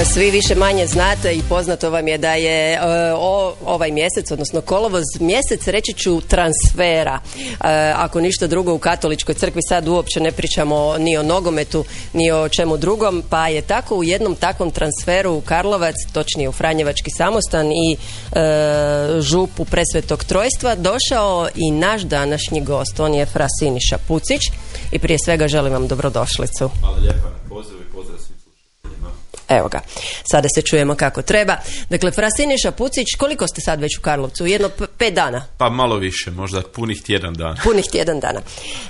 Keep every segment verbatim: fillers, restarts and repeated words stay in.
Svi više manje znate i poznato vam je da je o, ovaj mjesec, odnosno kolovoz, mjesec, reći ću, transfera. Ako ništa drugo, u katoličkoj crkvi sad uopće ne pričamo ni o nogometu, ni o čemu drugom, pa je tako u jednom takvom transferu u Karlovac, točnije u Franjevački samostan i e, župu Presvetog Trojstva, došao i naš današnji gost. On je fra Siniša Pucić i prije svega želim vam dobrodošlicu. Hvala lijepa na pozivu i pozdrav svim slušateljima. Evo ga, sada se čujemo kako treba. Dakle, fra Siniša Pucić, koliko ste sad već u Karlovcu? Jedno p- pet dana? Pa malo više, možda punih tjedan dana. Punih tjedan dana.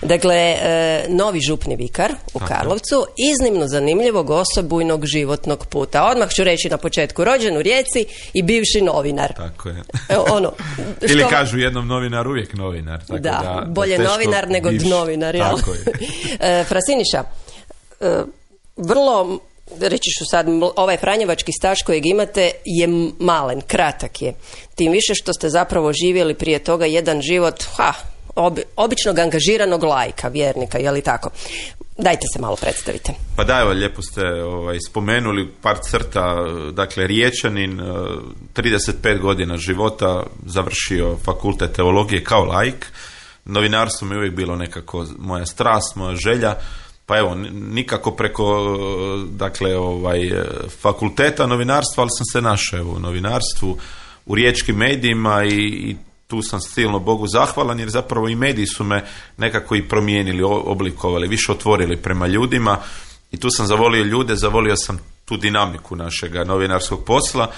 Dakle, e, novi župni vikar u Aha. Karlovcu, iznimno zanimljivog osobujnog životnog puta. Odmah ću reći na početku, rođen u Rijeci i bivši novinar. Tako je. E, ono, što... Ili kažu jednom novinar, uvijek novinar. Tako da, da, bolje da novinar nego biš. dnovinar. Jel? Tako je. e, fra Siniša, e, vrlo... reći ću sad, ovaj franjevački staž kojeg imate je malen, kratak je. Tim više što ste zapravo živjeli prije toga jedan život, ha, obi, običnog angažiranog laika, vjernika, je li tako? Dajte se malo predstavite. Pa da, evo, lijepo ste ovaj, spomenuli par crta. Dakle, Riječanin, trideset pet godina života, završio fakultet teologije kao laik. Novinarstvo mi je uvijek bilo nekako moja strast, moja želja. Pa evo, nikako preko dakle, ovaj, fakulteta novinarstva, ali sam se našao u novinarstvu, u riječkim medijima i, i tu sam silno Bogu zahvalan, jer zapravo i mediji su me nekako i promijenili, oblikovali, više otvorili prema ljudima i tu sam zavolio ljude, zavolio sam tu dinamiku našega novinarskog posla.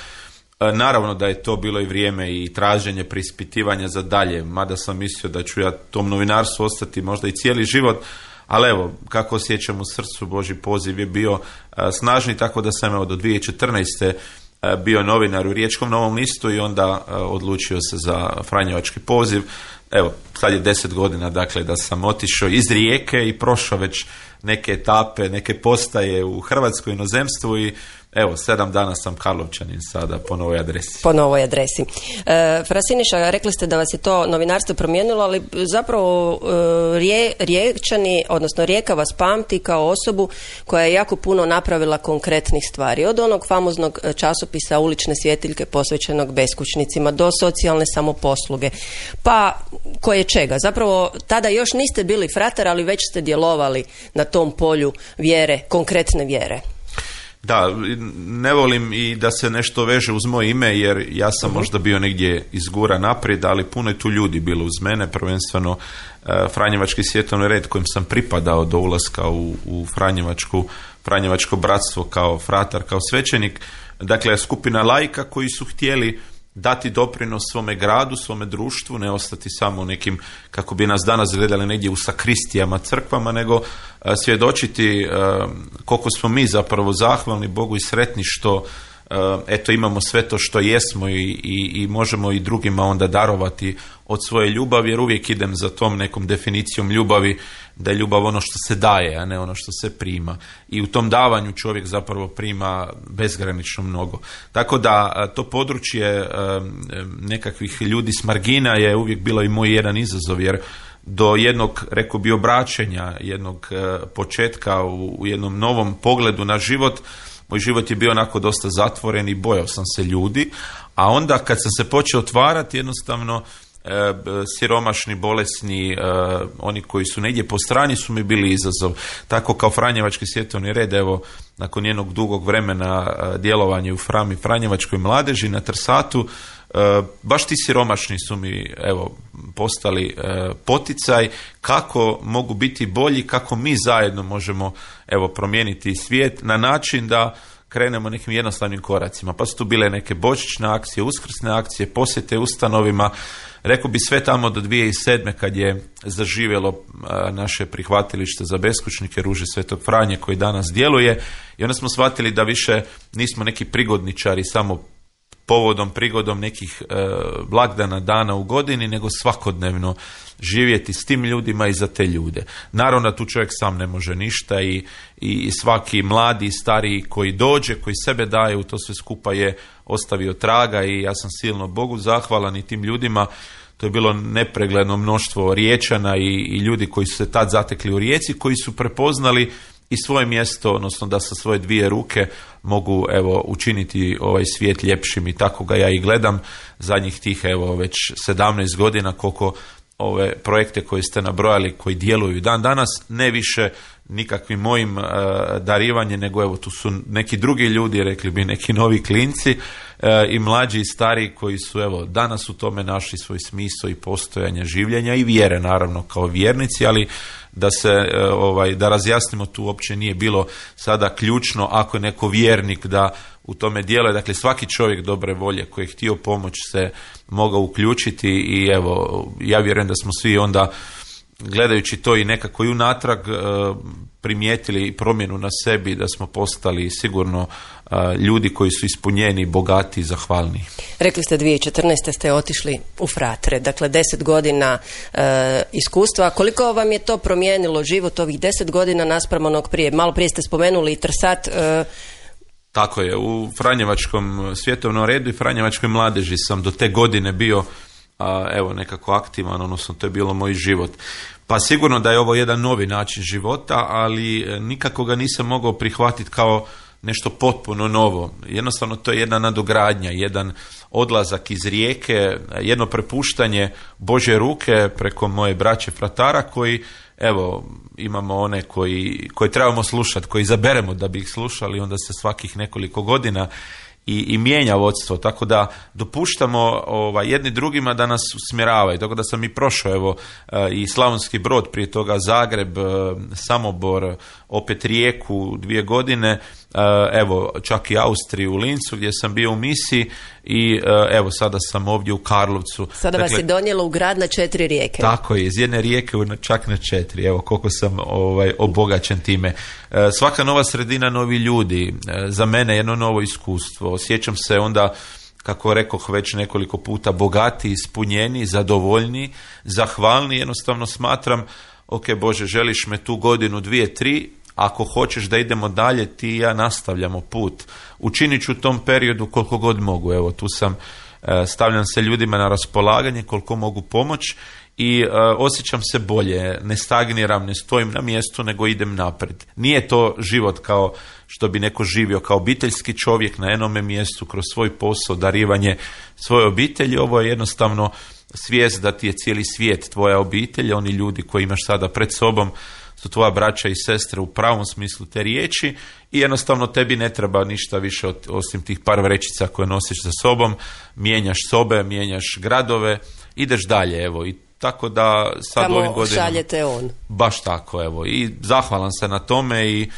Naravno da je to bilo i vrijeme i traženje preispitivanja za dalje, mada sam mislio da ću ja tom novinarstvu ostati možda i cijeli život. Ali evo, kako osjećam u srcu, Božji poziv je bio a, snažni, tako da sam evo do dvije tisuće četrnaeste. A, bio novinar u Riječkom Novom listu i onda a, odlučio se za franjevački poziv. Evo, sad je deset godina, dakle, da sam otišao iz Rijeke i prošao već neke etape, neke postaje u Hrvatskoj inozemstvu i evo, sedam dana sam Karlovčanin sada po novoj adresi. Po novoj adresi. E, fra Siniša, rekli ste da vas je to novinarstvo promijenilo, ali zapravo e, rije, Riječani, odnosno Rijeka vas pamti kao osobu koja je jako puno napravila konkretnih stvari. Od onog famoznog časopisa Ulične svjetiljke posvećenog beskućnicima do socijalne samoposluge. Pa koje čega? Zapravo tada još niste bili fratar, ali već ste djelovali na tom polju vjere, konkretne vjere. Da, ne volim i da se nešto veže uz moje ime, jer ja sam uh-huh. možda bio negdje izgura naprijed, ali puno je tu ljudi bilo uz mene, prvenstveno uh, Franjevački svjetovni red kojim sam pripadao do ulaska u, u Franjevačku, Franjevačko bratstvo kao fratar, kao svećenik. Dakle, skupina laika koji su htjeli dati doprinos svome gradu, svome društvu, ne ostati samo u nekim, kako bi nas danas gledali negdje u sakristijama, crkvama, nego a, svjedočiti a, koliko smo mi zapravo zahvalni Bogu i sretni što a, eto imamo sve to što jesmo i, i, i možemo i drugima onda darovati od svoje ljubavi, jer uvijek idem za tom nekom definicijom ljubavi, da je ljubav ono što se daje, a ne ono što se prima. I u tom davanju čovjek zapravo prima bezgranično mnogo. Tako da to područje nekakvih ljudi s margina je uvijek bilo i moj jedan izazov, jer do jednog, rekao bi, obraćenja, jednog početka u, u jednom novom pogledu na život, moj život je bio onako dosta zatvoren i bojao sam se ljudi, a onda kad sam se počeo otvarati, jednostavno E, siromašni, bolesni, e, oni koji su negdje po strani su mi bili izazov. Tako kao Franjevački svjetovni red, evo, nakon jednog dugog vremena e, djelovanja u Frami Franjevačkoj mladeži na Trsatu, e, baš ti siromašni su mi, evo, postali e, poticaj kako mogu biti bolji, kako mi zajedno možemo, evo, promijeniti svijet na način da krenemo nekim jednostavnim koracima. Pa su tu bile neke božićne akcije, uskrsne akcije, posjete ustanovima. Rekao bi sve tamo do dvije tisuće sedme kad je zaživjelo a, naše prihvatilište za beskućnike Ruže Svetog Franje koji danas djeluje, i onda smo shvatili da više nismo neki prigodničari samo povodom, prigodom nekih e, blagdana, dana u godini, nego svakodnevno živjeti s tim ljudima i za te ljude. Naravno da tu čovjek sam ne može ništa i, i svaki mladi i stariji koji dođe, koji sebe daje u to sve skupa je ostavio traga i ja sam silno Bogu zahvalan i tim ljudima. To je bilo nepregledno mnoštvo Riječana i, i ljudi koji su se tad zatekli u Rijeci, koji su prepoznali i svoje mjesto, odnosno da sa svoje dvije ruke mogu evo učiniti ovaj svijet ljepšim, i tako ga ja i gledam zadnjih tih evo već sedamnaest godina, koliko ove projekte koje ste nabrojali koji djeluju dan danas, ne više nikakvim mojim uh, darivanjem, nego evo tu su neki drugi ljudi, rekli bi neki novi klinci uh, i mlađi i stariji koji su evo danas u tome našli svoj smisao i postojanje življenja i vjere, naravno kao vjernici, ali da se uh, ovaj da razjasnimo, tu uopće nije bilo sada ključno ako je neko vjernik da u tome djeluje. Dakle, svaki čovjek dobre volje koji je htio pomoć se mogao uključiti i evo, ja vjerujem da smo svi onda, gledajući to i nekako i unatrag, primijetili promjenu na sebi, da smo postali sigurno ljudi koji su ispunjeni, bogati i zahvalni. Rekli ste dvije tisuće četrnaeste ste otišli u Fratre, dakle deset godina e, iskustva. Koliko vam je to promijenilo život ovih deset godina naspram onog prije? Malo prije ste spomenuli i Trsat. E, Tako je, u Franjevačkom svjetovnom redu i Franjevačkoj mladeži sam do te godine bio a, evo nekako aktivan, odnosno to je bilo moj život. Pa sigurno da je ovo jedan novi način života, ali nikako ga nisam mogao prihvatiti kao nešto potpuno novo. Jednostavno to je jedna nadogradnja, jedan odlazak iz Rijeke, jedno prepuštanje Božje ruke preko moje braće fratara koji, evo, imamo one koji, koji trebamo slušati, koji izaberemo da bi ih slušali, onda se svakih nekoliko godina i, i mijenja vodstvo, tako da dopuštamo ovaj, jedni drugima da nas usmjeravaju. Tako da sam i prošao evo i Slavonski Brod, prije toga Zagreb, Samobor, opet Rijeku dvije godine, evo čak i Austriju u Lincu gdje sam bio u misiji i evo sada sam ovdje u Karlovcu. Sada dakle, vas je donijelo u grad na četiri rijeke. Tako je, iz jedne rijeke čak na četiri, evo koliko sam ovaj, obogaćen time. Svaka nova sredina, novi ljudi, za mene jedno novo iskustvo. Osjećam se onda, kako rekoh već nekoliko puta, bogati, ispunjeni, zadovoljni, zahvalni. Jednostavno smatram, ok Bože, želiš me tu godinu, dvije, tri, ako hoćeš da idemo dalje, ti i ja nastavljamo put. Učinit ću u tom periodu koliko god mogu. Evo, tu sam, stavljam se ljudima na raspolaganje koliko mogu pomoć i uh, osjećam se bolje, ne stagniram, ne stojim na mjestu, nego idem naprijed. Nije to život kao što bi neko živio kao obiteljski čovjek na jednome mjestu, kroz svoj posao, darivanje svoje obitelji. Ovo je jednostavno svijest da ti je cijeli svijet tvoja obitelj, oni ljudi koji imaš sada pred sobom su tvoja braća i sestre u pravom smislu te riječi i jednostavno tebi ne treba ništa više od, osim tih par vrećica koje nosiš sa sobom, mijenjaš sobe, mijenjaš gradove, ideš dalje, evo, i tako da sad Kamo ovim godinama šaljete on. Baš tako, evo, i zahvalan sam na tome i e,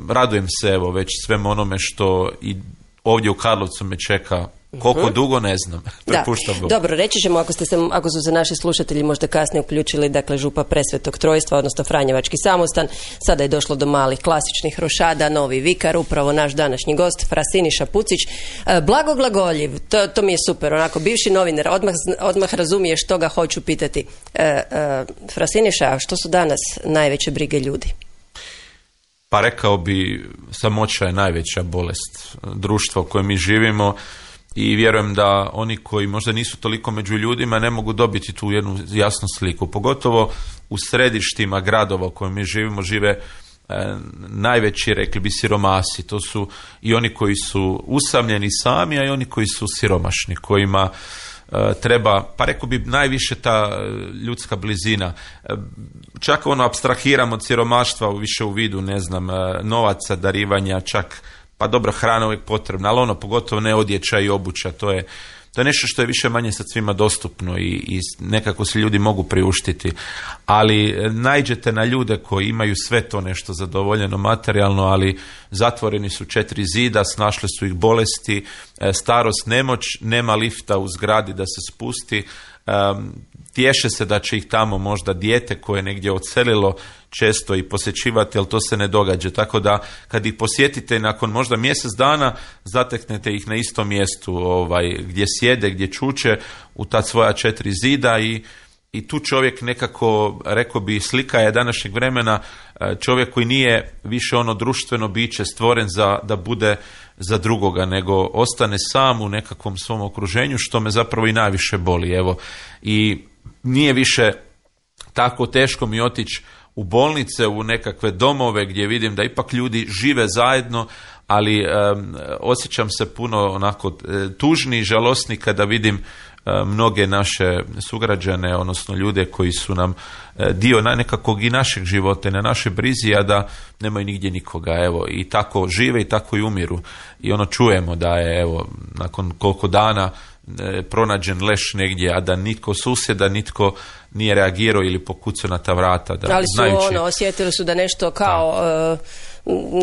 radujem se, evo, već svem onome što i ovdje u Karlovcu me čeka. Koliko uh-huh. dugo, ne znam. Prepuštam Bogu. Dobro, reći ćemo, ako, ste se, ako su se naši slušatelji možda kasnije uključili, dakle župa Presvetog Trojstva, odnosno Franjevački samostan, sada je došlo do malih klasičnih rošada, novi vikar, upravo naš današnji gost, fra Siniša Pucić. E, blagoglagoljiv, to, to mi je super, onako, bivši novinar, odmah, odmah razumije što ga hoću pitati. E, e, fra Siniša, što su danas najveće brige ljudi? Pa rekao bi, samoća je najveća bolest društva u kojem mi živimo. I vjerujem da oni koji možda nisu toliko među ljudima ne mogu dobiti tu jednu jasnu sliku. Pogotovo u središtima gradova u kojem mi živimo žive e, najveći, rekli bi, siromasi. To su i oni koji su usamljeni sami, a i oni koji su siromašni, kojima e, treba, pa rekao bi, najviše ta ljudska blizina. E, čak ono apstrahiramo od siromaštva više u vidu, ne znam, novaca, darivanja, čak pa dobro, hrana uvijek potrebna, ali ono pogotovo ne odjeća i obuća, to je, to je nešto što je više manje sad svima dostupno i, i nekako se ljudi mogu priuštiti, ali naiđete na ljude koji imaju sve to nešto zadovoljeno materijalno, ali zatvoreni su četiri zida, snašle su ih bolesti, starost, nemoć, nema lifta u zgradi da se spusti, um, tješe se da će ih tamo možda dijete koje je negdje odselilo često i posjećivati, ali to se ne događa. Tako da kad ih posjetite nakon možda mjesec dana, zateknete ih na istom mjestu ovaj, gdje sjede, gdje čuče u ta svoja četiri zida i, i tu čovjek nekako, rekao bi, slika je današnjeg vremena, čovjek koji nije više ono društveno biće stvoren za, da bude za drugoga, nego ostane sam u nekakvom svom okruženju, što me zapravo i najviše boli. Evo, i nije više tako teško mi otići u bolnice, u nekakve domove gdje vidim da ipak ljudi žive zajedno, ali um, osjećam se puno onako tužni i žalosni kada vidim uh, mnoge naše sugrađane, odnosno ljude koji su nam uh, dio na nekakvog i našeg života, na naše brizi, a da nemaju nigdje nikoga, evo, i tako žive i tako i umiru. I ono čujemo da je, evo, nakon koliko dana e, pronađen leš negdje, a da nitko susjeda, nitko nije reagirao ili pokucao na ta vrata. Da, ali su znajući, ono, osjetili su da nešto kao da. Uh,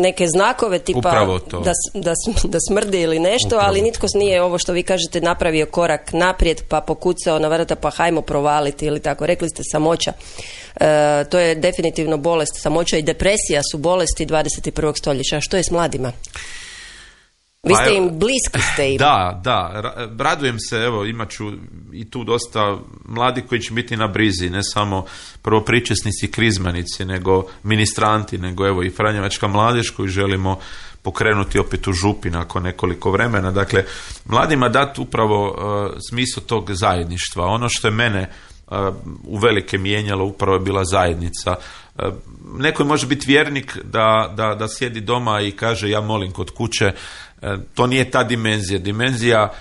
neke znakove tipa da, da, da smrdi ili nešto, Upravo. ali nitko nije ovo što vi kažete napravio korak naprijed pa pokucao na vrata pa hajmo provaliti ili tako. Rekli ste samoća. Uh, to je definitivno bolest. Samoća i depresija su bolesti dvadeset prvog stoljeća. A što je s mladima? Vi ste im bliski, ste im. Da, da, radujem se, evo, imat ću i tu dosta mladi koji će biti na brizi, ne samo prvopričesnici, krizmanici, nego ministranti, nego evo i Franjevačka mladež koju želimo pokrenuti opet u Župi nakon nekoliko vremena. Dakle, mladima dati upravo uh, smisao tog zajedništva. Ono što je mene uh, uvelike mijenjalo upravo je bila zajednica. Uh, neko može biti vjernik da, da, da sjedi doma i kaže ja molim kod kuće. To nije ta dimenzija. Dimenzija,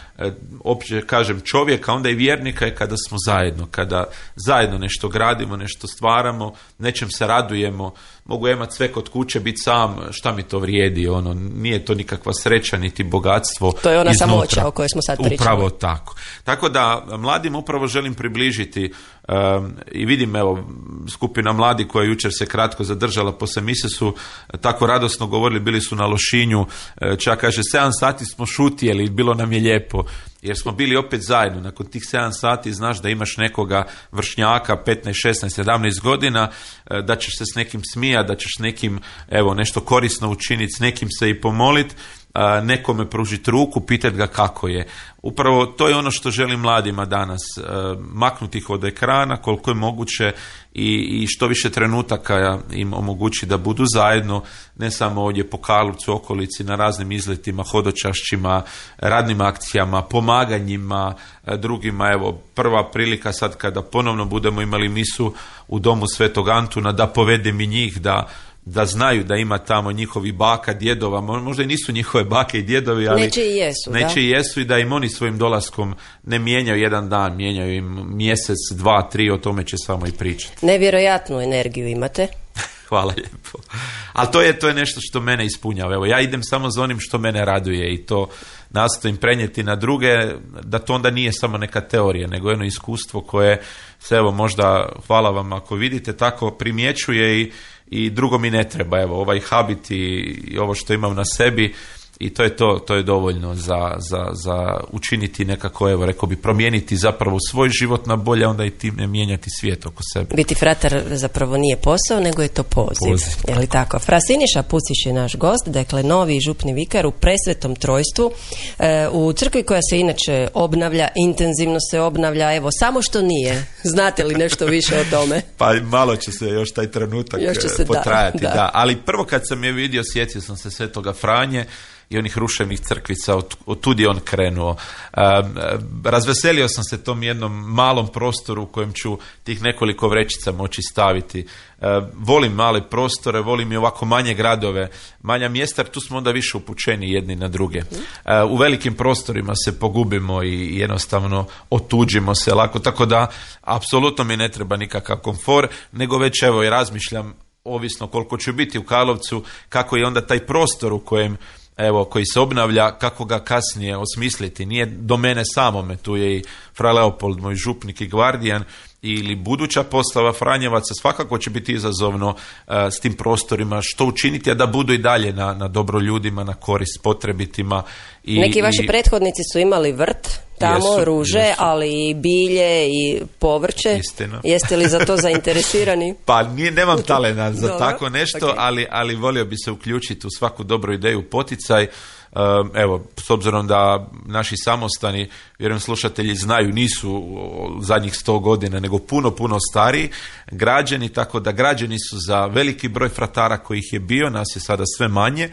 opće kažem, čovjeka, onda i vjernika je kada smo zajedno, kada zajedno nešto gradimo, nešto stvaramo, nečem se radujemo. Mogu ja imati sve kod kuće, biti sam, šta mi to vrijedi, ono, nije to nikakva sreća, niti bogatstvo. To je ona iznutra. samoća o kojoj smo sad pričali. Upravo tako. Tako da mladim upravo želim približiti um, i vidim, evo, skupina mladi koja jučer se kratko zadržala poslije mise su tako radosno govorili, bili su na Lošinju, čak kaže sedam sati smo šutjeli, bilo nam je lijepo. Jer smo bili opet zajedno. Nakon tih sedam sati znaš da imaš nekoga vršnjaka petnaest, šesnaest, sedamnaest godina, da ćeš se s nekim smijati, da ćeš nekim evo nešto korisno učiniti, s nekim se i pomoliti, nekome pružiti ruku, pitati ga kako je. Upravo to je ono što želim mladima danas, maknuti ih od ekrana koliko je moguće i, i što više trenutaka im omogući da budu zajedno, ne samo ovdje po Karlovcu, okolici, na raznim izletima, hodočašćima, radnim akcijama, pomaganjima drugima. Evo, prva prilika sad kada ponovno budemo imali misu u domu Svetog Antuna, da povedem i njih, da da znaju da ima tamo njihovi baka, djedova, možda i nisu njihove bake i djedovi, ali neće i jesu, neće da? i jesu i da im oni svojim dolaskom ne mijenjaju jedan dan, mijenjaju im mjesec, dva, tri, o tome će samo i pričati. Nevjerojatnu energiju imate. Hvala lijepo. Ali to je, to je nešto što mene ispunjava. Evo, ja idem samo za onim što mene raduje i to nastojim prenijeti na druge, da to onda nije samo neka teorija, nego jedno iskustvo koje se, evo, možda, hvala vam ako vidite, tako primjećuje i i drugo mi ne treba, evo, ovaj habit i, i ovo što imam na sebi i to je to, to je dovoljno za, za, za učiniti nekako, evo, rekao bi, promijeniti zapravo svoj život na bolje, onda i time mijenjati svijet oko sebe. Biti fratar zapravo nije posao, nego je to poziv. poziv. Je li tako? Fra Siniša Pucić je naš gost, dakle novi župni vikar u Presvetom Trojstvu, e, u crkvi koja se inače obnavlja, intenzivno se obnavlja, evo, samo što nije. Znate li nešto više o tome? Pa malo će se još taj trenutak još će se potrajati, da, da. da. Ali prvo kad sam je vidio, sjetio sam se Svetoga Franje i onih ruševnih crkvica, od, od tud je on krenuo. Um, razveselio sam se tom jednom malom prostoru u kojem ću tih nekoliko vrećica moći staviti. Uh, volim male prostore, volim i ovako manje gradove, manja mjesta, jer tu smo onda više upućeni jedni na druge. Uh, u velikim prostorima se pogubimo i jednostavno otuđimo se lako, tako da apsolutno mi ne treba nikakav komfor, nego već evo i razmišljam, ovisno koliko ću biti u Karlovcu, kako je onda taj prostor u kojem evo, koji se obnavlja, kako ga kasnije osmisliti. Nije do mene samome, tu je i fra Leopold, moj župnik i gvardijan, ili buduća postava Franjevaca, svakako će biti izazovno uh, s tim prostorima, što učiniti, a da budu i dalje na, na dobro ljudima, na korist potrebitima. I, Neki vaši i... prethodnici su imali vrt, tamo jesu, ruže, jesu. Ali i bilje i povrće. Istina. Jeste li za to zainteresirani? Pa nije, nemam talena za Dobro, tako nešto, okay. ali, ali volio bi se uključiti u svaku dobru ideju, poticaj. Evo, s obzirom da naši samostani, vjerujem slušatelji znaju, nisu zadnjih sto godina, nego puno, puno stariji građeni, tako da građeni su za veliki broj fratara kojih je bio, nas je sada sve manje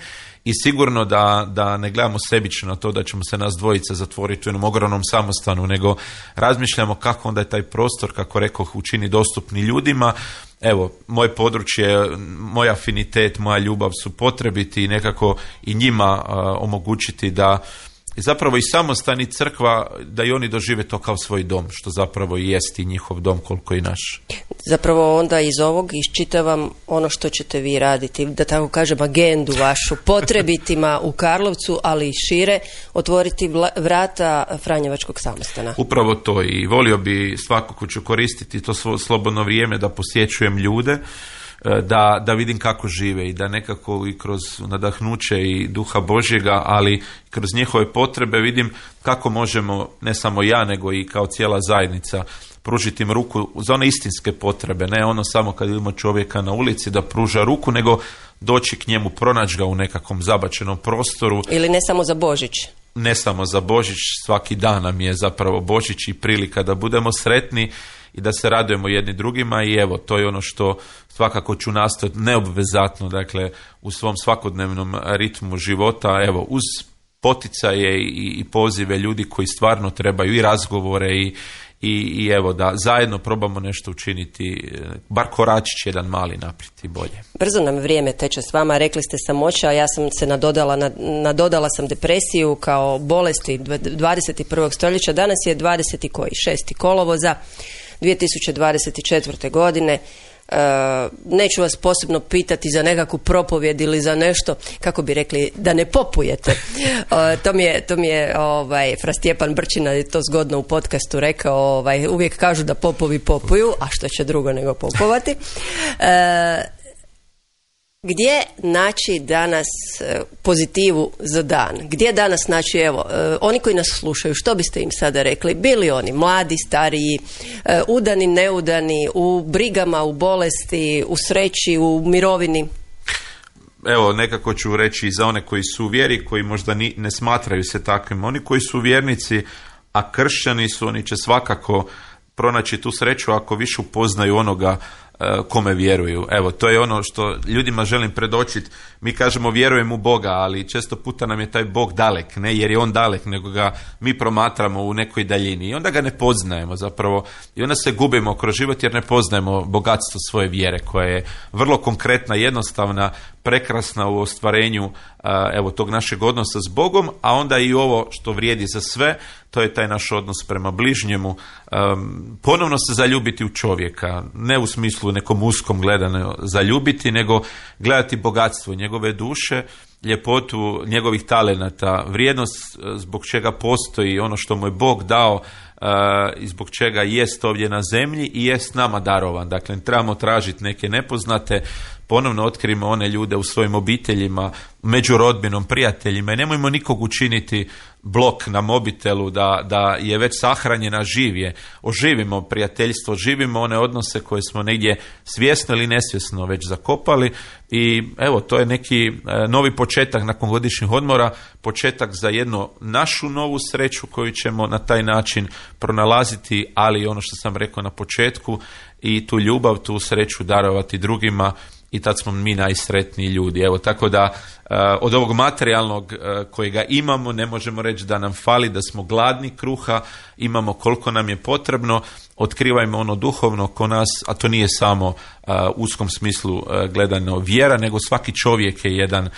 i sigurno da, da ne gledamo sebično na to da ćemo se nas dvojica zatvoriti u jednom ogromnom samostanu, nego razmišljamo kako onda je taj prostor, kako rekoh, učini dostupni ljudima. Evo, moje područje, moj afinitet, moja ljubav su potrebiti i nekako i njima uh, omogućiti da zapravo i samostan i crkva, da i oni dožive to kao svoj dom, što zapravo i jest i njihov dom koliko i naš. Zapravo onda iz ovog iščitavam ono što ćete vi raditi, da tako kažem, agendu vašu, potrebitima u Karlovcu, ali i šire, otvoriti vrata Franjevačkog samostana. Upravo to, i volio bi svakako ću koristiti to svo slobodno vrijeme da posjećujem ljude, Da, da vidim kako žive i da nekako i kroz nadahnuće i duha Božjega, ali kroz njihove potrebe vidim kako možemo, ne samo ja, nego i kao cijela zajednica, pružiti im ruku za one istinske potrebe, ne ono samo kad vidimo čovjeka na ulici da pruža ruku, nego doći k njemu, pronaći ga u nekakvom zabačenom prostoru. Ili ne samo za Božić. Ne samo za Božić, svaki dan nam je zapravo Božić i prilika da budemo sretni i da se radujemo jedni drugima, i evo, to je ono što svakako ću nastojati neobvezatno, dakle, u svom svakodnevnom ritmu života, evo, uz poticaje i, i pozive ljudi koji stvarno trebaju i razgovore i, i, i evo, da zajedno probamo nešto učiniti, bar koračić jedan mali naprijed i bolje. Brzo nam vrijeme teče s vama, rekli ste samoća, a ja sam se nadodala, nadodala sam depresiju kao bolesti dvadeset prvog stoljeća, danas je dvadeset šesti kolovoza dvije tisuće dvadeset četvrte. godine. E, neću vas posebno pitati za nekakvu propovjed ili za nešto, kako bi rekli, da ne popujete. E, to mi je, to mi je ovaj, Fra Stjepan Brčina je to zgodno u podcastu rekao, ovaj, uvijek kažu da popovi popuju, a što će drugo nego popovati. E, Gdje naći danas pozitivu za dan? Gdje danas naći, evo, oni koji nas slušaju, što biste im sada rekli? Bili oni mladi, stariji, udani, neudani, u brigama, u bolesti, u sreći, u mirovini? Evo, nekako ću reći za one koji su u vjeri, koji možda ni, ne smatraju se takvim. Oni koji su vjernici, a kršćani su, oni će svakako pronaći tu sreću ako više upoznaju onoga kome vjeruju. Evo, to je ono što ljudima želim predočiti. Mi kažemo vjerujem u Boga, ali često puta nam je taj Bog dalek, ne jer je on dalek, nego ga mi promatramo u nekoj daljini i onda ga ne poznajemo zapravo i onda se gubimo kroz život jer ne poznajemo bogatstvo svoje vjere koja je vrlo konkretna, jednostavna, prekrasna u ostvarenju evo tog našeg odnosa s Bogom, a onda i ovo što vrijedi za sve, to je taj naš odnos prema bližnjemu, um, ponovno se zaljubiti u čovjeka, ne u smislu nekom uskom gledano zaljubiti, nego gledati bogatstvo njegove duše, ljepotu njegovih talenata, vrijednost zbog čega postoji ono što mu je Bog dao uh, i zbog čega jest ovdje na zemlji i jest nama darovan. Dakle, trebamo tražiti neke nepoznate, ponovno otkrimo one ljude u svojim obiteljima, među rodbinom, prijateljima i nemojmo nikog učiniti blok na mobitelu da, da je već sahranjena, živje. Oživimo prijateljstvo, oživimo one odnose koje smo negdje svjesno ili nesvjesno već zakopali i evo, to je neki novi početak nakon godišnjih odmora, početak za jednu našu novu sreću koju ćemo na taj način pronalaziti, ali ono što sam rekao na početku, i tu ljubav, tu sreću darovati drugima i tad smo mi najsretniji ljudi. Evo, tako da uh, od ovog materijalnog uh, kojega imamo ne možemo reći da nam fali, da smo gladni kruha, imamo koliko nam je potrebno, otkrivajmo ono duhovno ko nas, a to nije samo uh, u uskom smislu uh, gledano vjera, nego svaki čovjek je jedan, uh,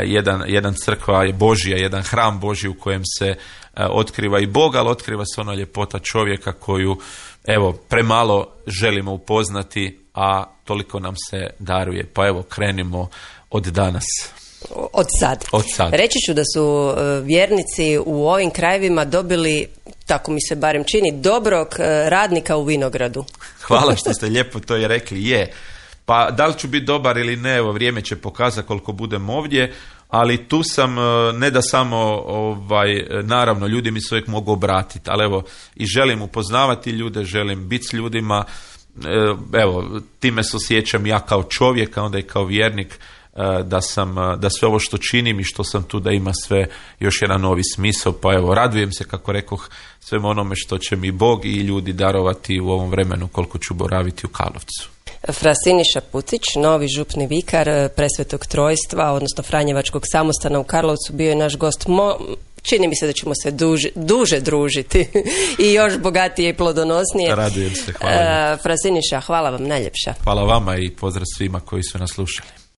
jedan, jedan crkva je Božja, jedan hram Božji u kojem se uh, otkriva i Bog, ali otkriva se ona ljepota čovjeka koju, evo, premalo želimo upoznati, a toliko nam se daruje. Pa evo, krenimo od danas. Od sad. Od sad. Reći ću da su vjernici u ovim krajevima dobili, tako mi se barem čini, dobrog radnika u vinogradu. Hvala što ste lijepo to i rekli. Je. Pa da li ću biti dobar ili ne, evo, vrijeme će pokazati koliko budem ovdje, ali tu sam, ne da samo, ovaj, naravno, ljudi mi se uvijek mogu obratiti, ali evo, i želim upoznavati ljude, želim biti s ljudima, evo, time se osjećam ja kao čovjek, a onda i kao vjernik, da sam, da sve ovo što činim i što sam tu da ima sve još jedan novi smisao, pa evo, radujem se, kako rekoh, svemu onome što će mi Bog i ljudi darovati u ovom vremenu koliko ću boraviti u Karlovcu. Fra Siniša Pucić, novi župni vikar Presvetog Trojstva, odnosno Franjevačkog samostana u Karlovcu, bio je naš gost. Mo, čini mi se da ćemo se duže, duže družiti i još bogatije i plodonosnije. Radujem se, hvala. Fra Siniša, hvala vam najljepša. Hvala vama i pozdrav svima koji su nas slušali.